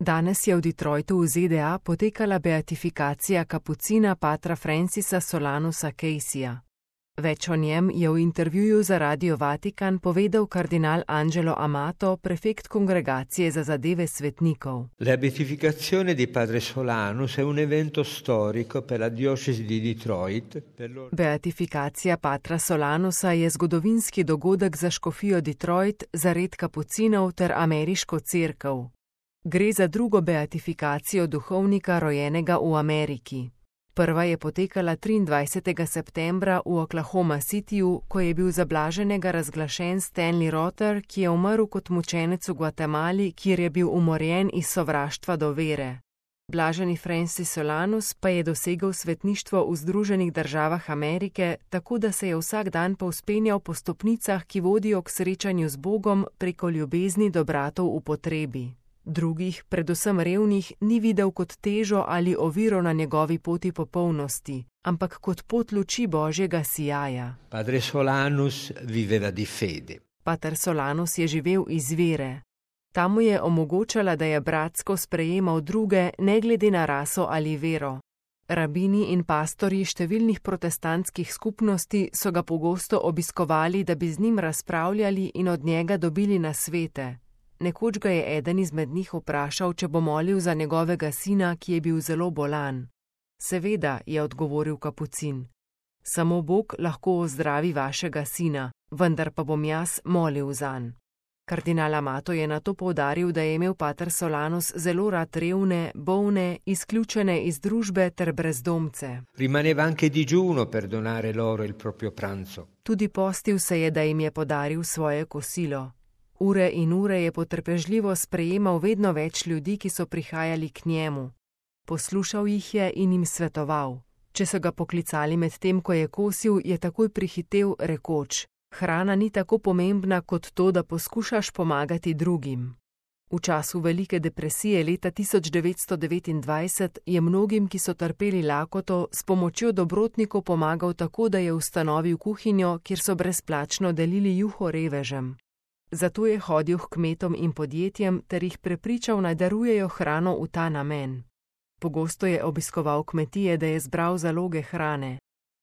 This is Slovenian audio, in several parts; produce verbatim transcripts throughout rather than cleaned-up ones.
Danes je v Detroitu v Z D A potekala beatifikacija kapucina patra Francisa Solanusa Caseyja. Več o njem je v intervjuju za Radio Vatikan povedal kardinal Angelo Amato, prefekt Kongregacije za zadeve svetnikov. La beatificazione di padre Solanus è un evento storico per la diocesi di Detroit. Per loro... Beatifikacija patra Solanusa je zgodovinski dogodek za škofijo Detroit, za red kapucinov ter ameriško cerkev. Gre za drugo beatifikacijo duhovnika rojenega v Ameriki. Prva je potekala triindvajsetega septembra v Oklahoma Cityju, ko je bil za blaženega razglašen Stanley Rother, ki je umrl kot mučenec v Gvatemali, kjer je bil umorjen iz sovraštva do vere. Blaženi Francis Solanus pa je dosegel svetništvo v Združenih državah Amerike, tako da se je vsak dan povzpenjal po stopnicah, ki vodijo k srečanju z Bogom preko ljubezni do bratov v potrebi. Drugih, predvsem revnih, ni videl kot težo ali oviro na njegovi poti popolnosti, ampak kot pot luči Božjega sijaja. Padre Solanus viveva di fede. Pater Solanus je živel iz vere. Ta mu je omogočala, da je bratsko sprejemal druge, ne glede na raso ali vero. Rabini in pastorji številnih protestantskih skupnosti so ga pogosto obiskovali, da bi z njim razpravljali in od njega dobili nasvete. Nekoč ga je eden izmed njih vprašal, če bo molil za njegovega sina, ki je bil zelo bolan. Seveda, je odgovoril kapucin. Samo Bog lahko ozdravi vašega sina, vendar pa bom jaz molil zanj. Kardinal Amato je nato poudaril, da je imel pater Solanus zelo rad revne, bolne, izključene iz družbe ter brezdomce. Rimaneva anche digiuno per donare loro il proprio pranzo. Tudi postil se je, da jim je podaril svoje kosilo. Ure in ure je potrpežljivo sprejemal vedno več ljudi, ki so prihajali k njemu. Poslušal jih je in jim svetoval. Če so ga poklicali med tem, ko je kosil, je takoj prihitev, rekoč: hrana ni tako pomembna kot to, da poskušaš pomagati drugim. V času velike depresije leta tisoč devetsto devetindvajset je mnogim, ki so trpeli lakoto, s pomočjo dobrotnikov pomagal tako, da je ustanovil kuhinjo, kjer so brezplačno delili juho revežem. Zato je hodil k kmetom in podjetjem ter jih prepričal, naj darujejo hrano v ta namen. Pogosto je obiskoval kmetije, da je zbral zaloge hrane.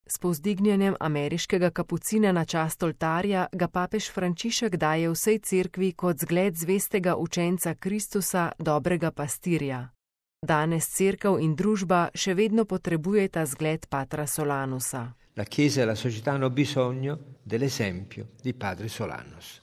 S povzdignjenjem ameriškega kapucina na čast oltarja ga papež Frančišek daje vsej cerkvi kot zgled zvestega učenca Kristusa, dobrega pastirja. Danes cerkev in družba še vedno potrebujeta zgled patra Solanusa. La Chiesa e la società hanno bisogno dell'esempio di padre Solanus.